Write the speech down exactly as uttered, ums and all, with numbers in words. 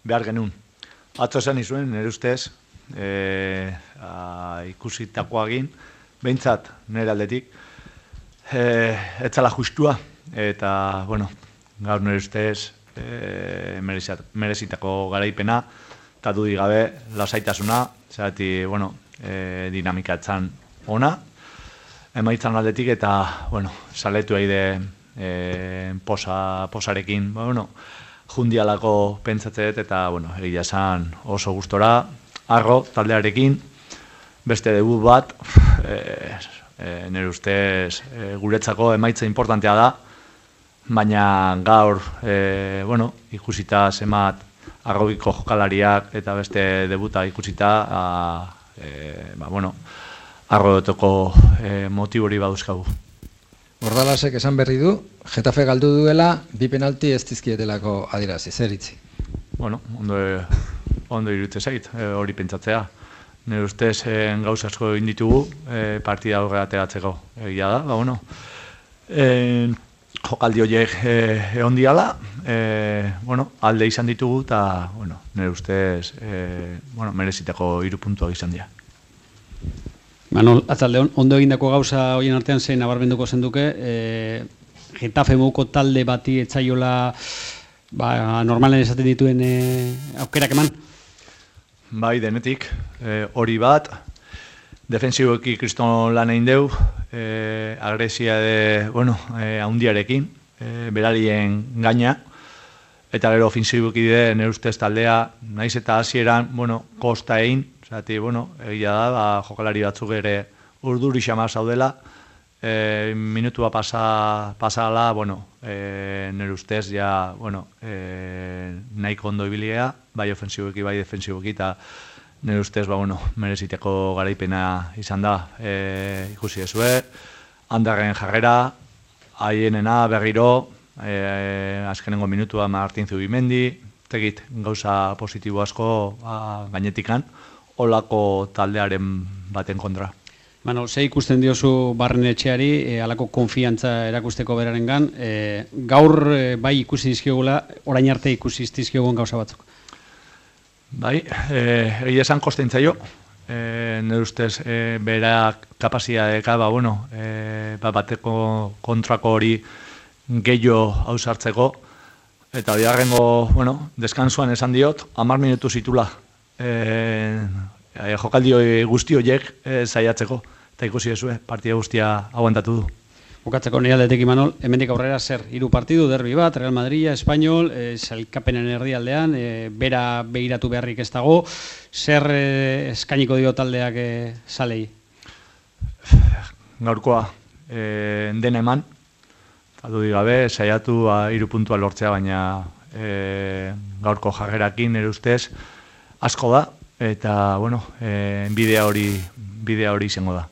behar genuen. Atzo esan izuen, nire ustez, e, a, ikusitakoagin, behintzat nire aldetik, e, etzala justua, eta, bueno, gaur nire ustez, e, merezitako garaipena, eta dudik gabe, lasaitasuna, zerati, bueno, e, dinamika etzan ona, emaitzan aldetik, eta, bueno, saletu aide e, posa, posarekin, bueno, jundialako pentsatzeet, eta, bueno, egia esan oso gustora, arro, taldearekin, beste debut bat, e, e, nire ustez, e, guretzako emaitza importantea da, baina gaur, e, bueno, ikusita zemat arrobiko jokalariak eta beste debuta ikusita, a, e, ba, bueno, arrodotoko e, motibori baduzkagu. Bordalasek esan berri du, Getafe galdu duela, bi penalti ez dizkietelako adierazi, zer itzi? Bueno, ondo, ondo irutze zait, e, hori pentsatzea. Nire ustez e, gauza asko inditugu, e, partida horre ateratzeko egia da, ba, bueno, e, jokaldi horiek egon diala, e, bueno, alde izan ditugu, eta, bueno, nire ustez, e, bueno, merezitako hiru puntuak izan dira. Manol, atzalde, ondo egindako gauza horien artean zein nabarmenduko zenduke, e, Getafe moduko talde bati etzaiola ba, normalen esaten dituen e, aukerak eman? Bai, denetik, e, hori bat, defensiboeki kriston lan egin deu, e, agresia de, bueno, e, haundiarekin, e, beralien gaina, eta gero ofensiboeki de, nire ustez taldea, naiz eta hasieran, bueno, kosta egin, zati, bueno, egia da, ba, jokalari batzuk ere urduri xama zaudela, e, minutua pasa, pasala, bueno, e, nire ustez, ja, bueno, e, nahiko ondo ibilia, bai ofensiboeki, bai defensiboeki, eta nire ustez, ba, bueno, mereziteko garaipena izan da, e, ikusi ezue, handarren jarrera, haienena berriro, e, azkenengo minutua Martin Zubimendi, tegit gauza positibo asko a, gainetikan, olako taldearen baten kontra. Manol, ze ikusten diozu Barren Etxeari, e, alako konfiantza erakusteko berarengan, e, gaur e, bai ikusi dizkiogula, orain arte ikusi dizkiogun gauza batzuk. Bai, egia esan kosten zaio, e, nire ustez e, bera kapazitatea, ba, bueno, e, ba, bateko kontrako hori gehiago hausartzeko, eta bigarrengo, bueno, deskansuan esan diot, hamar minutu zitula e, e, jokaldi guzti horiek e, zaiatzeko, eta ikusi ezue, partida guztia aguantatu du. Bukatzeko nire aldetik Imanol, hemendik aurrera zer, hiru partidu, derbi bat, Real Madrid, Espanyol, e, sailkapenen erdialdean, e, bera behiratu beharrik ez dago, zer e, eskainiko dio taldeak e, salei? Gaurkoa, e, dena eman, eta du digabe, saiatu hiru puntua lortzea, baina e, gaurko jarrerakin ere ustez asko da, eta, bueno, e, bidea hori, bidea hori izango da.